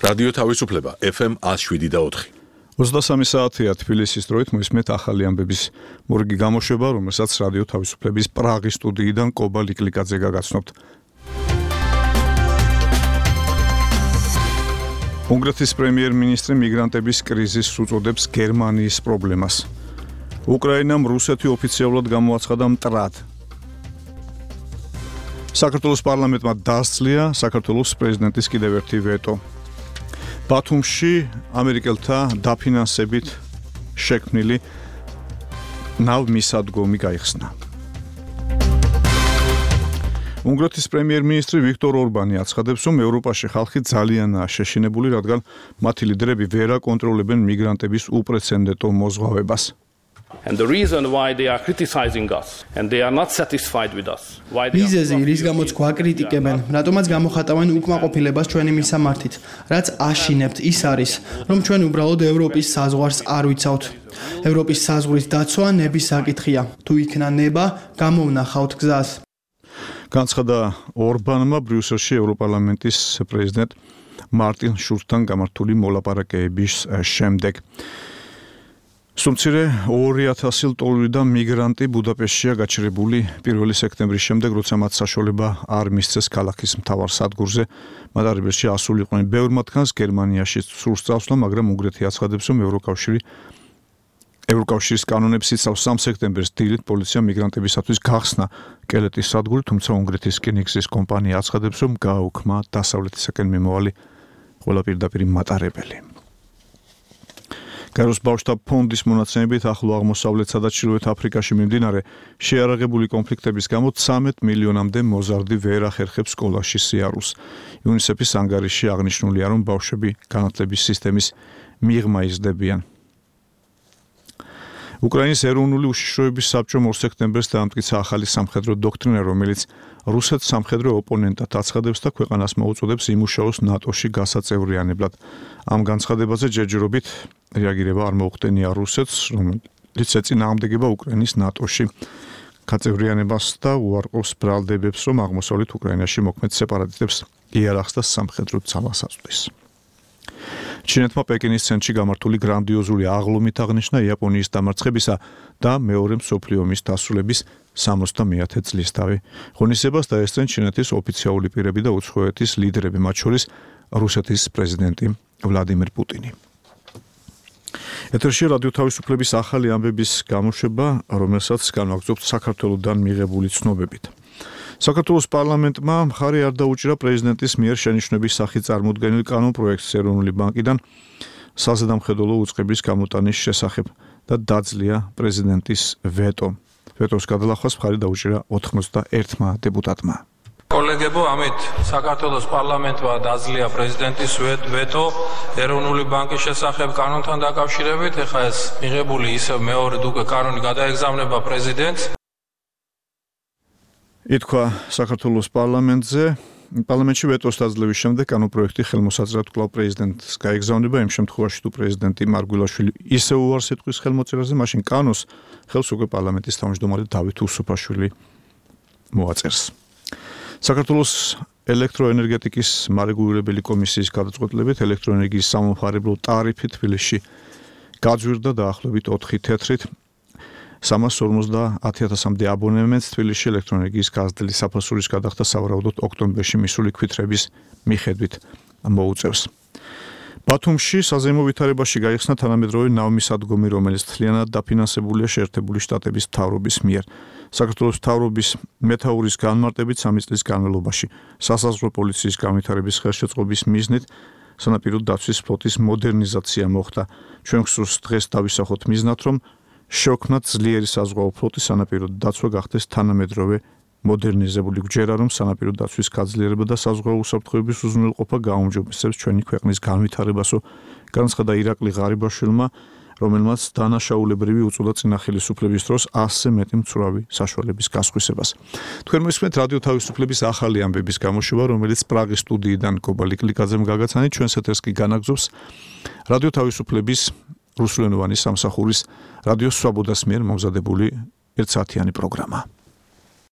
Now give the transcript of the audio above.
რადიო თავისუფლება FM 107.4. 23 საათია თბილისის დროით მოისმენთ ახალი ამბების მორიგი გამოშვება, რომელსაც რადიო თავისუფლების პრაღის სტუდიიდან კობა ლიკლიკაძე გაგაცნობთ. უნგრეთის პრემიერ-მინისტრი მიგრანტების კრიზისს უწოდებს გერმანიის პრობლემას. უკრაინამ რუსეთი ოფიციალურად გამოაცხადა მტრად. საქართველოს პარლამენტმა დასძლია საქართველოს პრეზიდენტის კიდევ ერთი ვეტო. ბათუმში ამერიკელთა დაფინანსებით შექმნილი ნავმისადგომი გაიხსნა. უნგრეთის პრემიერ-მინისტრი ვიქტორ ორბანი აცხადებს, რომ ევროპაში ხალხი ძალიანაა შეშინებული, რადგან მათი ლიდერები ვერ აკონტროლებენ მიგრანტების უპრეცედენტო მოზღვავებას. And the reason why they are criticizing us and they are not satisfied with us. მიზეზი რის გამოც გვაკრიტიკებენ, რატომაც გამოხატავენ უკმაყოფილებას ჩვენი მისამართით, რაც აშინებთ ის არის, რომ ჩვენ უბრალოდ ევროპის საზღვარს არ ვიცავთ. ევროპის საზღვრის დაცვა ნების საკითხია. თუ იქნა ნება, გამოვნახავთ გზას. განცხადა ორბანმა ბრიუსელში ევროპარლამენტის პრეზიდენტ მარტინ შულცთან გამართული მოლაპარაკებების შემდეგ. სუმცირე 2000 ლტოლვიდან მიგრანტი ბუდაპეშტშია გაჩერებული 1 სექტემბრის შემდეგ, როცა მათ საშუალება არ მისცეს ქალაქის მთავარ სადგურზე მატარებელში ასულიყვნენ. ბევრ მათგანს გერმანიაში სურს წავსვლა, მაგრამ უნგრეთი აცხადებს, რომ ევროკავშირის კანონებს იცავს 3 სექტემბერს დილით პოლიცია მიგრანტებისათვის გახსნა კელეტის სადგური, თუმცა უნგრეთის რკინიგზის კომპანია აცხადებს, რომ გააუქმა დასავლეთისაკენ მიმავალი ყველა პირდაპირ მატარებელი. გაროს ბავშვთა ფონდის მონაცემებით ახლო აღმოსავლეთსა და ჩრდილოეთ აფრიკაში მიმდინარე შეიარაღებული კონფლიქტების გამო 13 მილიონამდე მოზარდი ვერ ახერხებს სკოლაში სიარულს. იუნისეფის ანგარიში აღნიშნულია, რომ ბავშვები განათლების სისტემის მიღმა იზრდებიან. უკრაინის ეროვნული უშიშროების საბჭომ 2 სექტემბერს დაამტკიცა ახალი სამხედრო დოქტრინა, რომელიც რუსეთს სამხედრო ოპონენტად აცხადებს და ქვეყანას მოუწოდებს იმუშაოს ნატოში გასაწევრიანებლად. ამ განცხადებაზე ჯერჯერობით რეაგირება არ მოუხდენია რუსეთს, რომელიც ეწინააღმდეგება უკრაინის ნატოში გაწევრიანებას და უარყოფს ბრალდებებს, რომ აღმოსავლეთ უკრაინაში მოქმედ სეპარატისტებს იარაღს და სამხედრო ძალას აწვდის. ჩინეთმა პეკინის ცენტრში გამართული გრანდიოზული აღლუმით აღნიშნა იაპონიის დამარცხებისა და მეორე მსოფლიო ომის დასრულების 70-ე წლისთავი. ღონისძიებას დაესწრნენ ჩინეთის ოფიციალური პირები და უცხოეთის ლიდერები, მათ შორის რუსეთის პრეზიდენტი ვლადიმირ პუტინი. ეთერში რადიო თავისუფლების ახალი ამბების გამოშვება, რომელსაც განვაგრძობთ საქართველოსდან მიღებული ცნობებით. საქართველოს პარლამენტმა მხარი არ დაუჭირა პრეზიდენტის მიერ შენიშვნების სახით წარმოდგენილ კანონპროექტს ეროვნული ბანკიდან საზედამხედველო უწყების გამოტანის შესახებ და დაძლია პრეზიდენტის ვეტო. ვეტოს გადალახვას მხარი დაუჭირა 91 დეპუტატმა. კოლეგებო, ამით საქართველოს პარლამენტმა დაძლია პრეზიდენტის ვეტო ეროვნული ბანკის შესახებ კანონთან დაკავშირებით. ეხლა ეს მიღებული ისევ მეორედ უკვე კანონი გადაეგზავნება პრეზიდენტს. ითქვა საქართველოს პარლამენტში ვეტოს დაძლევის შემდეგ კანონპროექტი ხელმოსაძრად კვლავ პრეზიდენტს გაეგზავნება. იმ შემთხვევაში, თუ პრეზიდენტი მარგველაშვილი ისევ უარს ეთქვის ხელმოწერაზე, მაშინ კანონს ხელს უკვე პარლამენტის თავმჯდომარე დავით უსუფაშვილი მოაწერს. საქართველოს ელექტროენერგეტიკის მარეგულირებელი კომისიის გადაწყვეტილებით ელექტროენერგიის სამომხმარებლო ტარიფი თბილისში გაძვირდა დაახლოებით 4 თეთრით. 350,000-მდე აბონემენტს თბილისში ელექტროენერგიის გაზრდილი საფასურის გადახდა სავარაუდოდ ოქტომბერში მისული ქვითრების მიხედვით მოუწევს. ბათუმში საზეიმო ვითარებაში გაიხსნა თანამედროვე ნავმისადგომი, რომელიც მთლიანად დაფინანსებულია შეერთებული შტატების მთავრობის მიერ. საქართველოს მთავრობის მეთაურის განმარტებით 3 წლის განმავლობაში სასაზღვრო პოლიციის განვითარების ხელშეწყობის მიზნით სანაპირო დაცვის ფლოტის მოდერნიზაცია მოხდა. ჩვენ გსურს დღეს დავისახოთ მიზნად, რომ შევქმნათ ძლიერი საზღვაო ფლოტი, სანაპირო დაცვა გახდეს თანამედროვე მოდერნიზებული. გვჯერა, რომ სანაპირო დაცვის გაძლიერება და საზღვაო უსაფრთხოების უზრუნველყოფა გააუმჯობესებს ჩვენი ქვეყნის განვითარებასო, განცხადა ირაკლი ღარიბაშვილმა, რომელმაც დანაშაულებრივი უწოდა წინა ხელისუფლების დროს 100-ზე მეტი მცურავი საშუალების გასხვისებას. თქვენ მოისმენთ რადიო თავისუფლების ახალი ამბების გამოშვება, რომელიც პრაღის სტუდიიდან კობა ლიკლიკაძემ გაგაცანით. ჩვენს ეთერს კი განაგზობს რადიო თავისუფლების რუსულენოვანი სამსახურის რადიო სვაბოდას მიერ მომზადებული ერთსაათიანი პროგრამა.